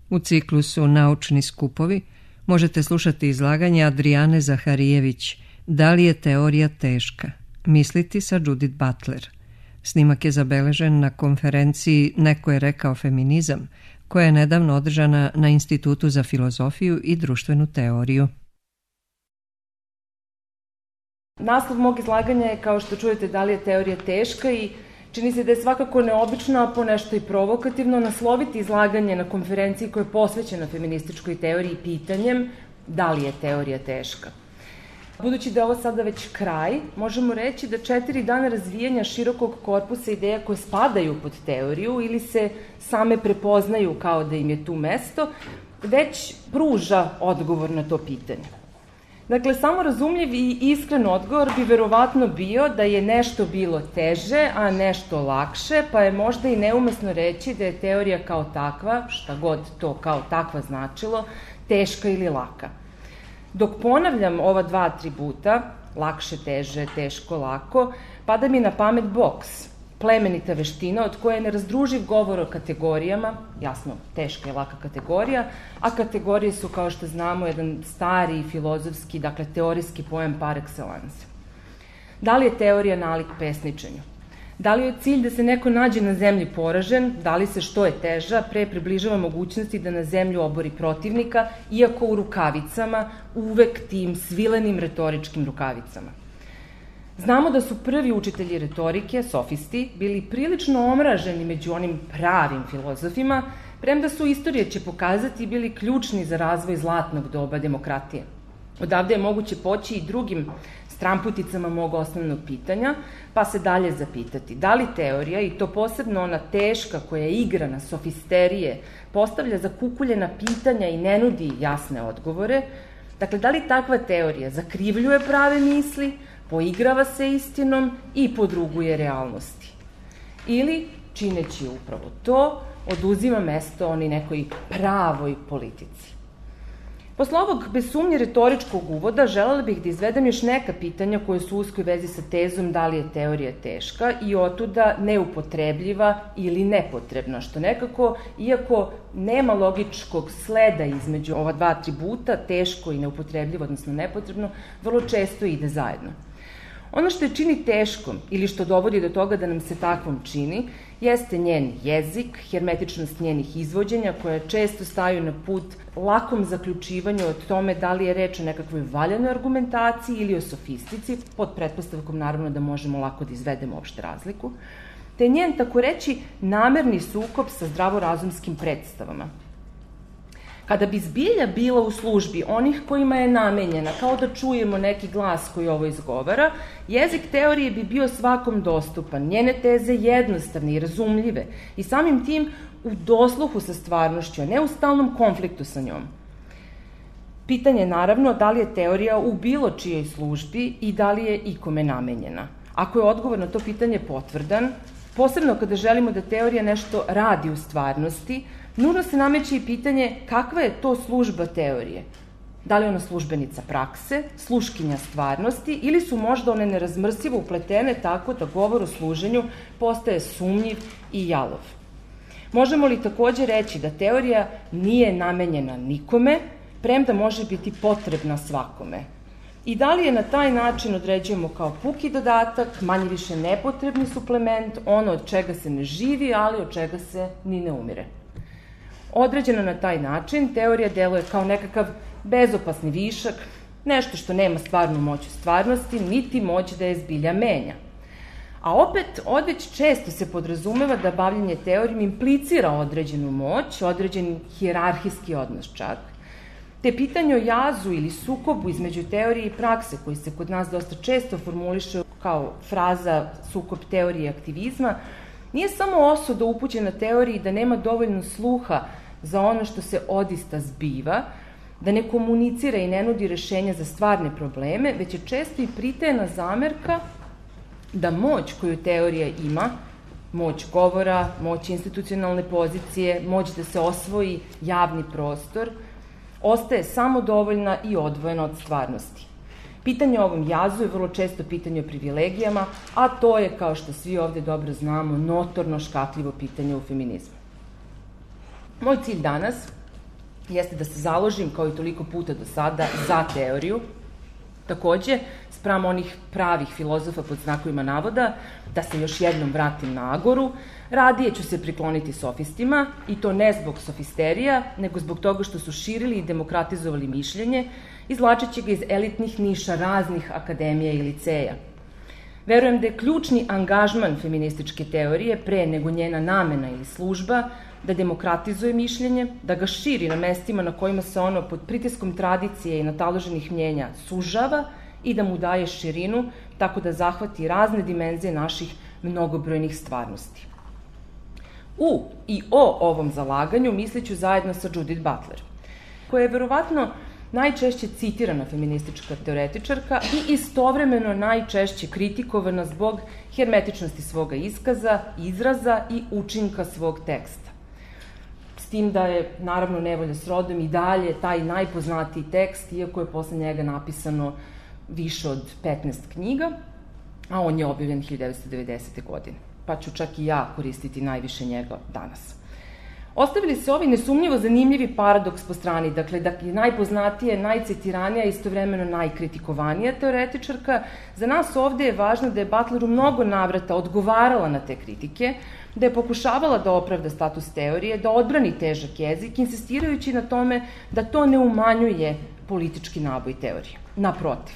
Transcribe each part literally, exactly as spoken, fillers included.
U ciklusu Naučni skupovi možete slušati izlaganje Adrijane Zaharijević Da li je teorija teška? Misliti sa Judith Butler. Snimak je zabeležen na konferenciji Neko je rekao feminizam, koja je nedavno održana na Institutu za filozofiju i društvenu teoriju. Naslov mog izlaganja je, kao što čujete, da li je teorija teška i čini se da je svakako neobično, a ponešto i provokativno, nasloviti izlaganje na konferenciji koja je posvećena feminističkoj teoriji pitanjem da li je teorija teška. Budući da je ovo sada već kraj, možemo reći da četiri dana razvijanja širokog korpusa ideja koje spadaju pod teoriju ili se same prepoznaju kao da im je tu mesto, već pruža odgovor na to pitanje. Dakle, samo razumljiv i iskren odgovor bi verovatno bio da je nešto bilo teže, a nešto lakše, pa je možda i neumesno reći da je teorija kao takva, šta god to kao takva značilo, teška ili laka. Dok ponavljam ova dva atributa, lakše, teže, teško, lako, pada mi na pamet boks, plemenita veština od koje je nerazdruživ govor o kategorijama, jasno, teška i laka kategorija, a kategorije su, kao što znamo, jedan stari filozofski, dakle, teorijski pojam par excellence. Da li je teorija nalik pesničenju? Da li je cilj da se neko nađe na zemlji poražen, da li se što je teža, pre približava mogućnosti da na zemlju obori protivnika, iako u rukavicama, uvek tim svilenim retoričkim rukavicama. Znamo da su prvi učitelji retorike, sofisti, bili prilično omraženi među onim pravim filozofima, premda su, istorija će pokazati, bili ključni za razvoj zlatnog doba demokratije. Odavde je moguće poći i drugim stramputicama mog osnovnog pitanja, pa se dalje zapitati da li teorija, i to posebno ona teška koja je igrana, sofisterije, postavlja zakukuljena pitanja i ne nudi jasne odgovore, dakle, da li takva teorija zakrivljuje prave misli, poigrava se istinom i podruguje realnosti. Ili, čineći upravo to, oduzima mesto oni nekoj pravoj politici. Posle ovog, bez sumnje, retoričkog uvoda, želela bih da izvedem još neka pitanja koje su u uskoj vezi sa tezom da li je teorija teška i otuda neupotrebljiva ili nepotrebna, što nekako, iako nema logičkog sleda između ova dva atributa, teško i neupotrebljivo, odnosno nepotrebno, vrlo često ide zajedno. Ono što je čini teškom ili što dovodi do toga da nam se takvom čini, jeste njen jezik, hermetičnost njenih izvođenja koja često staju na put lakom zaključivanju o tome da li je reč o nekakvoj valjanoj argumentaciji ili o sofistici, pod pretpostavkom naravno da možemo lako da izvedemo opšte razliku, te njen, tako reći, namerni sukob sa zdravorazumskim predstavama. Kada bi zbilja bila u službi onih kojima je namenjena, kao da čujemo neki glas koji ovo izgovara, jezik teorije bi bio svakom dostupan, njene teze jednostavne i razumljive i samim tim u dosluhu sa stvarnošću, a ne u stalnom konfliktu sa njom. Pitanje je naravno da li je teorija u bilo čijoj službi i da li je ikome namenjena. Ako je odgovor na to pitanje potvrdan, posebno kada želimo da teorija nešto radi u stvarnosti, nužno se nameće i pitanje kakva je to služba teorije. Da li je ona službenica prakse, sluškinja stvarnosti ili su možda one nerazmrsivo upletene tako da govor o služenju postaje sumnjiv i jalov. Možemo li takođe reći da teorija nije namenjena nikome, premda može biti potrebna svakome? I da li je na taj način određujemo kao puki dodatak, manje više nepotrebni suplement, ono od čega se ne živi, ali od čega se ni ne umire? Određena na taj način, teorija deluje kao nekakav bezopasni višak, nešto što nema stvarnu moć u stvarnosti, niti moć da je zbilja menja. A opet, odveć često se podrazumeva da bavljenje teorijom implicira određenu moć, određen hijerarhijski odnos čak, te pitanje o jazu ili sukobu između teorije i prakse, koji se kod nas dosta često formuliše kao fraza sukob teorije i aktivizma, nije samo osuda upućena teoriji da nema dovoljno sluha za ono što se odista zbiva, da ne komunicira i ne nudi rešenja za stvarne probleme, već je često i pritajena zamerka da moć koju teorija ima, moć govora, moć institucionalne pozicije, moć da se osvoji javni prostor, ostaje samo dovoljna i odvojena od stvarnosti. Pitanje o ovom jazu je vrlo često pitanje o privilegijama, a to je, kao što svi ovde dobro znamo, notorno škakljivo pitanje u feminizmu. Moj cilj danas jeste da se založim, kao i toliko puta do sada, za teoriju. Takođe, spram onih pravih filozofa pod znakovima navoda, da se još jednom vratim na Agoru, radije ću se prikloniti sofistima, i to ne zbog sofisterija, nego zbog toga što su širili i demokratizovali mišljenje, izvlačeći ga iz elitnih niša raznih akademija i liceja. Verujem da je ključni angažman feminističke teorije, pre nego njena namena ili služba, da demokratizuje mišljenje, da ga širi na mestima na kojima se ono pod pritiskom tradicije i nataloženih mnjenja sužava i da mu daje širinu, tako da zahvati razne dimenzije naših mnogobrojnih stvarnosti. U i o ovom zalaganju misliću zajedno sa Judith Butler, koja je verovatno najčešće citirana feministička teoretičarka i istovremeno najčešće kritikovana zbog hermetičnosti svoga iskaza, izraza i učinka svog teksta. S tim da je, naravno, Nevolja s rodom i dalje taj najpoznatiji tekst, iako je posle njega napisano više od petnaest knjiga, a on je objavljen hiljadu devetsto devedesete. godine. Pa ću čak i ja koristiti najviše njega danas. Ostavili se ovi nesumnjivo zanimljivi paradoks po strani, dakle, da je najpoznatija, najcitiranija, istovremeno najkritikovanija teoretičarka. Za nas ovde je važno da je Butler u mnogo navrata odgovarala na te kritike, da je pokušavala da opravda status teorije, da odbrani težak jezik, insistirajući na tome da to ne umanjuje politički naboj teorije. Naprotiv.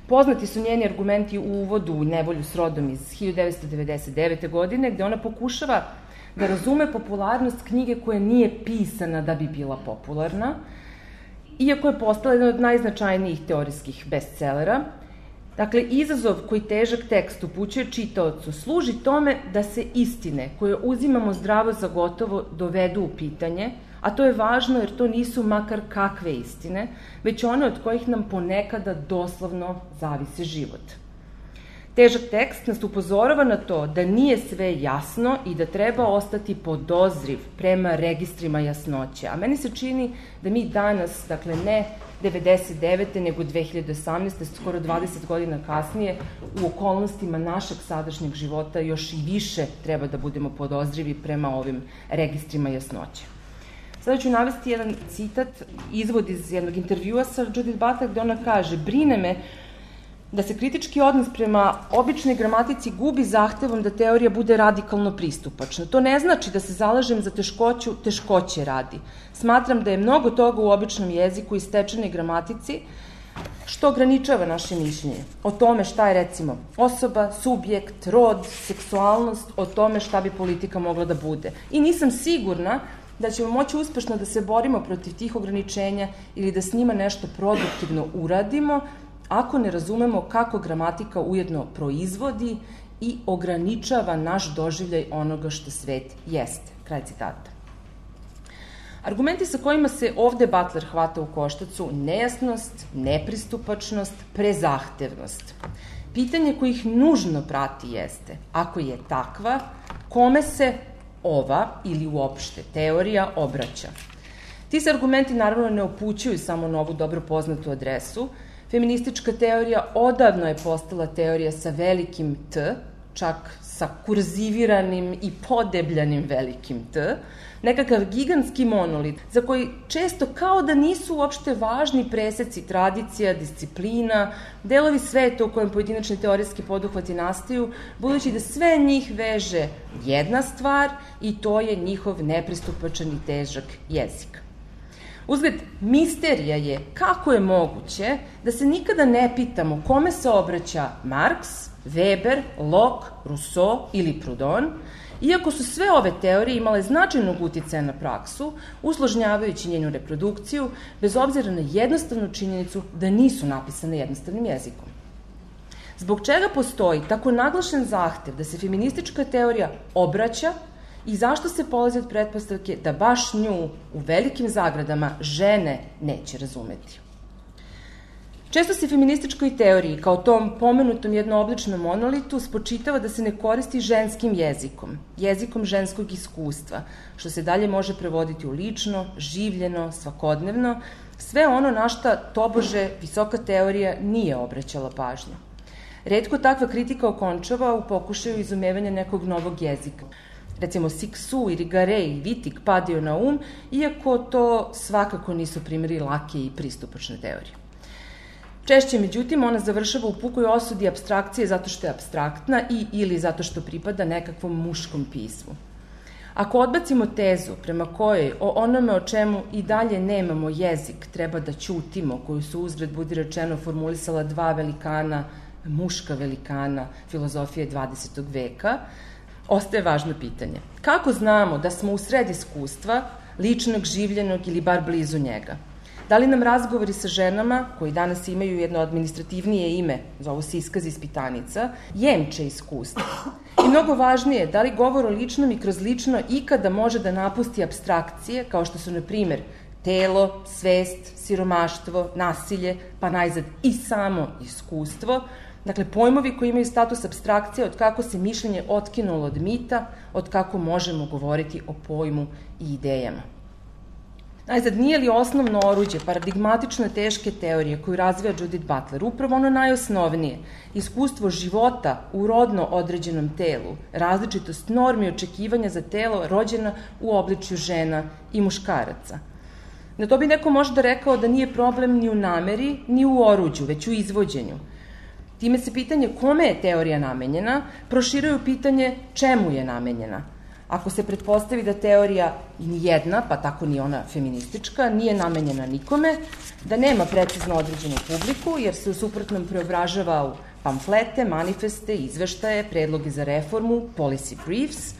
Poznati su njeni argumenti u uvodu u Nevolju s rodom iz hiljadu devetsto devedeset devete. godine, gde ona pokušava da razume popularnost knjige koja nije pisana da bi bila popularna, iako je postala jedan od najznačajnijih teorijskih bestsellera. Dakle, izazov koji težak tekst upućuje čitaocu služi tome da se istine koje uzimamo zdravo za gotovo dovedu u pitanje, a to je važno jer to nisu makar kakve istine, već one od kojih nam ponekada doslovno zavise život. Težak tekst nas upozorava na to da nije sve jasno i da treba ostati podozriv prema registrima jasnoće. A meni se čini da mi danas, dakle ne devedeset devete. nego dve hiljade osamnaeste. skoro dvadeset godina kasnije, u okolnostima našeg sadašnjeg života još i više treba da budemo podozrivi prema ovim registrima jasnoće. Sada ću navesti jedan citat, izvod iz jednog intervjua sa Judith Butler, gde ona kaže: brine me da se kritički odnos prema običnoj gramatici gubi zahtevom da teorija bude radikalno pristupačna. To ne znači da se zalažem za teškoću teškoće radi. Smatram da je mnogo toga u običnom jeziku i stečenoj gramatici što ograničava naše mišljenje. O tome šta je, recimo, osoba, subjekt, rod, seksualnost, o tome šta bi politika mogla da bude. I nisam sigurna da ćemo moći uspešno da se borimo protiv tih ograničenja ili da s njima nešto produktivno uradimo, ako ne razumemo kako gramatika ujedno proizvodi i ograničava naš doživljaj onoga što svet jeste. Kraj citata. Argumenti sa kojima se ovde Butler hvata u koštac su nejasnost, nepristupačnost, prezahtevnost. Pitanje koje ih nužno prati jeste, ako je takva, kome se ova ili uopšte teorija obraća. Ti se argumenti naravno ne upućuju samo na ovu dobro poznatu adresu. Feministička teorija odavno je postala teorija sa velikim T, čak sa kurziviranim i podebljanim velikim T, nekakav gigantski monolit za koji često kao da nisu uopšte važni preseci tradicija, disciplina, delovi sveta u kojem pojedinačni teorijski poduhvati nastaju, budući da sve njih veže jedna stvar i to je njihov nepristupačan i težak jezik. Uzgled, misterija je kako je moguće da se nikada ne pitamo kome se obraća Marks, Weber, Locke, Rousseau ili Proudhon, iako su sve ove teorije imale značajnog uticaja na praksu, usložnjavajući njenu reprodukciju, bez obzira na jednostavnu činjenicu da nisu napisane jednostavnim jezikom. Zbog čega postoji tako naglašen zahtev da se feministička teorija obraća i zašto se polazi od pretpostavke da baš nju u velikim zagradama žene neće razumeti? Često se feminističkoj teoriji, kao tom pomenutom jednoobličnom monolitu, spočitava da se ne koristi ženskim jezikom, jezikom ženskog iskustva, što se dalje može prevoditi u lično, življeno, svakodnevno, sve ono na šta tobože visoka teorija nije obraćala pažnju. Retko takva kritika okončava u pokušaju izumevanja nekog novog jezika. Recimo Siksu, Irigaray i Wittig padaju na um, iako to svakako nisu primjeri lake i pristupačne teorije. Češće, međutim, ona završava u pukoj osudi apstrakcije zato što je apstraktna i ili zato što pripada nekakvom muškom pismu. Ako odbacimo tezu prema kojoj o onome o čemu i dalje nemamo jezik treba da ćutimo, koju su uzgred budi rečeno formulisala dva velikana, muška velikana filozofije dvadesetog veka, ostaje važno pitanje. Kako znamo da smo u sred iskustva, ličnog, življenog ili bar blizu njega? Da li nam razgovori sa ženama, koji danas imaju jedno administrativnije ime, zovu se iskaz ispitanica, jemče iskustva? I mnogo važnije, da li govor o ličnom i kroz lično ikada može da napusti apstrakcije, kao što su, na primer, telo, svest, siromaštvo, nasilje, pa najzad i samo iskustvo, dakle, pojmovi koji imaju status apstrakcije od kako se mišljenje otkinulo od mita, od kako možemo govoriti o pojmu i idejama. Najzad, nije li osnovno oruđe paradigmatično teške teorije koju razvija Judith Butler upravo ono najosnovnije, iskustvo života u rodno određenom telu, različitost normi očekivanja za telo rođena u obličju žena i muškaraca? Na to bi neko možda rekao da nije problem ni u nameri, ni u oruđu, već u izvođenju. Time se pitanje kome je teorija namenjena proširuje u pitanje čemu je namenjena. Ako se pretpostavi da teorija ni jedna, pa tako ni ona feministička, nije namenjena nikome, da nema precizno određenu publiku, jer se u suprotnom preobražava u pamflete, manifeste, izveštaje, predloge za reformu, policy briefs,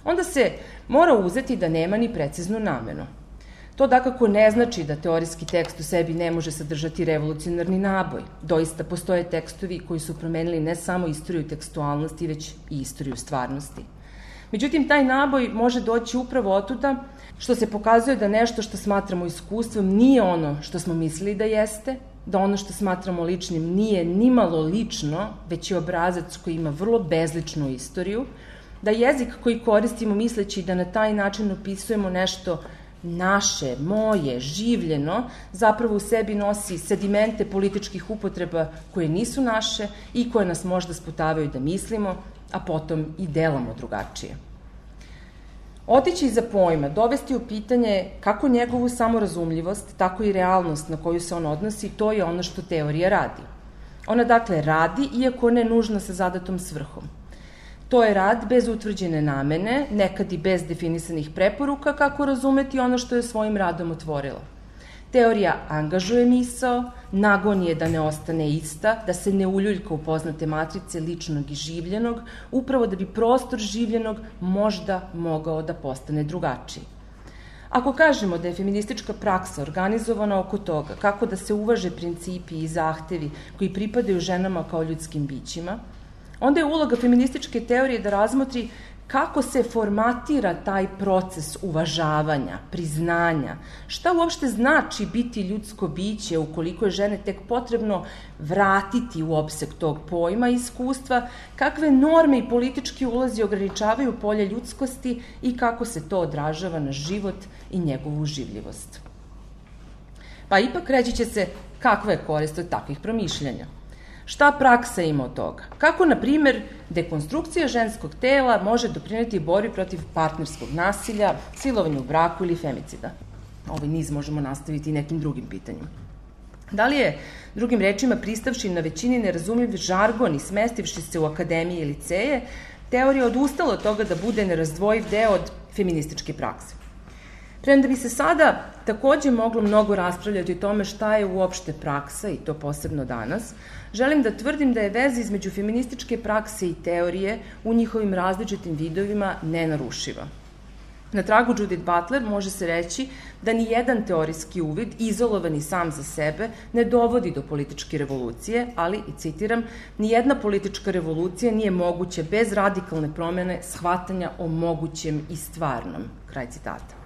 onda se mora uzeti da nema ni preciznu namenu. To dakako ne znači da teorijski tekst u sebi ne može sadržati revolucionarni naboj. Doista postoje tekstovi koji su promenili ne samo istoriju tekstualnosti, već i istoriju stvarnosti. Međutim, taj naboj može doći upravo otuda što se pokazuje da nešto što smatramo iskustvom nije ono što smo mislili da jeste, da ono što smatramo ličnim nije nimalo lično, već je obrazac koji ima vrlo bezličnu istoriju, da jezik koji koristimo misleći da na taj način opisujemo nešto naše, moje, življeno, zapravo u sebi nosi sedimente političkih upotreba koje nisu naše i koje nas možda sputavaju da mislimo, a potom i delamo drugačije. Otići iza pojma, dovesti u pitanje kako njegovu samorazumljivost, tako i realnost na koju se on odnosi, to je ono što teorija radi. Ona dakle radi, iako ne nužno sa zadatom svrhom. To je rad bez utvrđene namene, nekad i bez definisanih preporuka kako razumeti ono što je svojim radom otvorila. Teorija angažuje misao, nagon je da ne ostane ista, da se ne uljuljka u poznate matrice ličnog i življenog, upravo da bi prostor življenog možda mogao da postane drugačiji. Ako kažemo da je feministička praksa organizovana oko toga kako da se uvaže principi i zahtevi koji pripadaju ženama kao ljudskim bićima, onda je uloga feminističke teorije da razmotri kako se formatira taj proces uvažavanja, priznanja, šta uopšte znači biti ljudsko biće ukoliko je žene tek potrebno vratiti u opseg tog pojma i iskustva, kakve norme i politički ulazi ograničavaju polje ljudskosti i kako se to odražava na život i njegovu življivost. Pa ipak reći će se kakva je korist od takvih promišljanja. Šta praksa ima od toga? Kako, na primer, dekonstrukcija ženskog tela može doprineti borbi protiv partnerskog nasilja, silovanju u braku ili femicida? Ovaj niz možemo nastaviti i nekim drugim pitanjima. Da li je, drugim rečima, pristavši na većini nerazumljiv žargon i smestivši se u akademije i liceje, teorija odustala od toga da bude nerazdvojiv deo od feminističke prakse. Premda bi se sada takođe moglo mnogo raspravljati o tome šta je uopšte praksa, i to posebno danas, želim da tvrdim da je veza između feminističke prakse i teorije u njihovim različitim vidovima nenarušiva. Na tragu Judith Butler može se reći da ni jedan teorijski uvid, izolovani sam za sebe, ne dovodi do političke revolucije, ali, i citiram, ni jedna politička revolucija nije moguća bez radikalne promene shvatanja o mogućem i stvarnom. Kraj citata.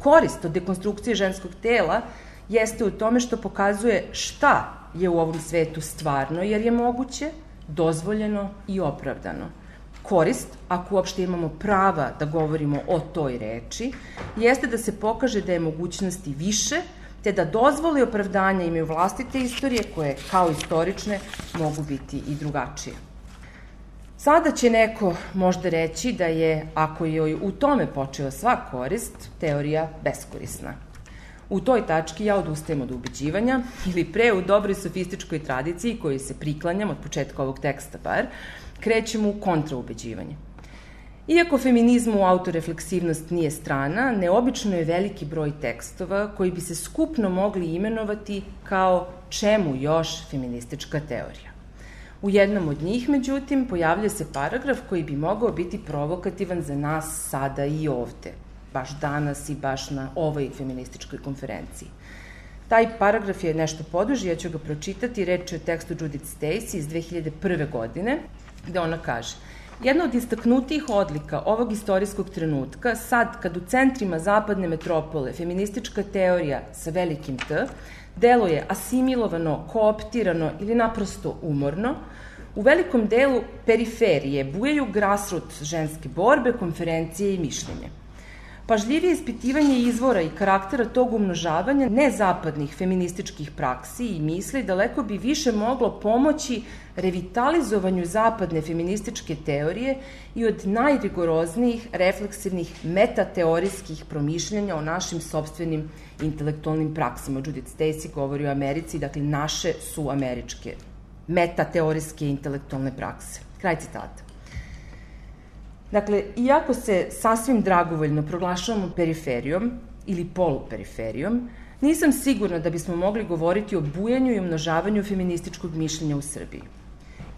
Korist od dekonstrukcije ženskog tela jeste u tome što pokazuje šta je u ovom svetu stvarno, jer je moguće, dozvoljeno i opravdano. Korist, ako uopšte imamo prava da govorimo o toj reči, jeste da se pokaže da je mogućnosti više, te da dozvole i opravdanja imaju vlastite istorije koje, kao istorične, mogu biti i drugačije. Sada će neko možda reći da je, ako joj u tome počeo sva korist, teorija beskorisna. U toj tački ja odustajem od ubeđivanja, ili pre u dobroj sofističkoj tradiciji kojoj se priklanjam od početka ovog teksta bar, krećem u kontraubeđivanje. Iako feminizmu autorefleksivnost nije strana, neobično je veliki broj tekstova koji bi se skupno mogli imenovati kao čemu još feministička teorija. U jednom od njih, međutim, pojavlja se paragraf koji bi mogao biti provokativan za nas sada i ovde, baš danas i baš na ovoj feminističkoj konferenciji. Taj paragraf je nešto poduži, ja ću ga pročitati, reč je o tekstu Judith Stacy iz dve hiljade prve. godine, gde ona kaže: jedna od istaknutijih odlika ovog istorijskog trenutka, sad kad u centrima zapadne metropole feministička teorija sa velikim T deluje asimilovano, kooptirano ili naprosto umorno, u velikom delu periferije bujaju grassroot ženske borbe, konferencije i mišljenje. Pažljivije ispitivanje izvora i karaktera tog umnožavanja nezapadnih feminističkih praksi i misli daleko bi više moglo pomoći revitalizovanju zapadne feminističke teorije i od najrigoroznijih refleksivnih metateorijskih promišljanja o našim sopstvenim intelektualnim praksama. Judith Stacy govori o Americi, dakle naše su američke metateorijske intelektualne prakse. Kraj citata. Dakle, iako se sasvim dragovoljno proglašavamo periferijom ili poluperiferijom, nisam sigurna da bismo mogli govoriti o bujanju i umnožavanju feminističkog mišljenja u Srbiji.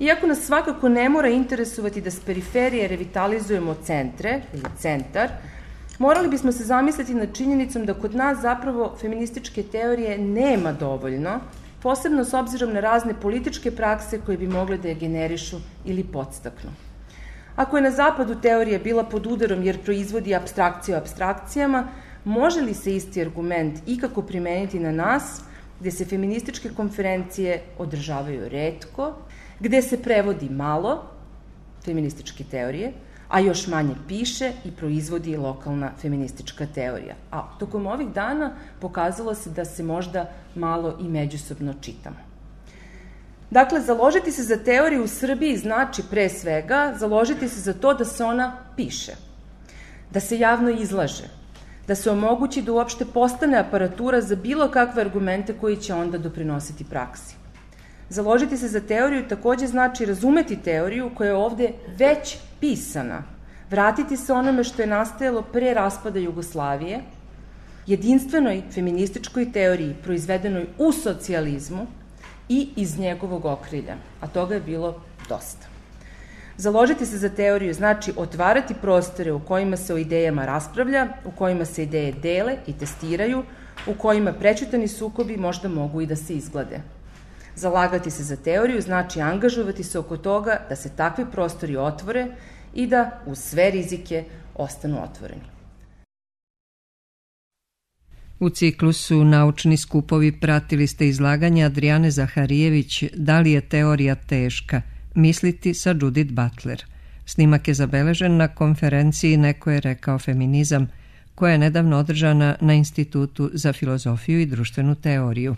Iako nas svakako ne mora interesovati da s periferije revitalizujemo centre ili centar, morali bismo se zamisliti nad činjenicom da kod nas zapravo feminističke teorije nema dovoljno, posebno s obzirom na razne političke prakse koje bi mogle da je generišu ili podstaknu. Ako je na zapadu teorija bila pod udarom jer proizvodi apstrakcije o apstrakcijama, može li se isti argument ikako primeniti na nas, gde se feminističke konferencije održavaju retko, gde se prevodi malo feminističke teorije, a još manje piše i proizvodi lokalna feministička teorija. A tokom ovih dana pokazalo se da se možda malo i međusobno čitamo. Dakle, založiti se za teoriju u Srbiji znači pre svega založiti se za to da se ona piše, da se javno izlaže, da se omogući da uopšte postane aparatura za bilo kakve argumente koji će onda doprinositi praksi. Založiti se za teoriju takođe znači razumeti teoriju koja je ovde već pisana, vratiti se onome što je nastajalo pre raspada Jugoslavije, jedinstvenoj feminističkoj teoriji proizvedenoj u socijalizmu i iz njegovog okrilja, a toga je bilo dosta. Založiti se za teoriju znači otvarati prostore u kojima se o idejama raspravlja, u kojima se ideje dele i testiraju, u kojima prečutani sukobi možda mogu i da se izglade. Zalagati se za teoriju znači angažovati se oko toga da se takvi prostori otvore i da uz sve rizike ostanu otvoreni. U ciklusu Naučni skupovi pratili ste izlaganje Adrijane Zaharijević Da li je teorija teška? Misliti sa Judith Butler. Snimak je zabeležen na konferenciji Neko je rekao feminizam, koja je nedavno održana na Institutu za filozofiju i društvenu teoriju.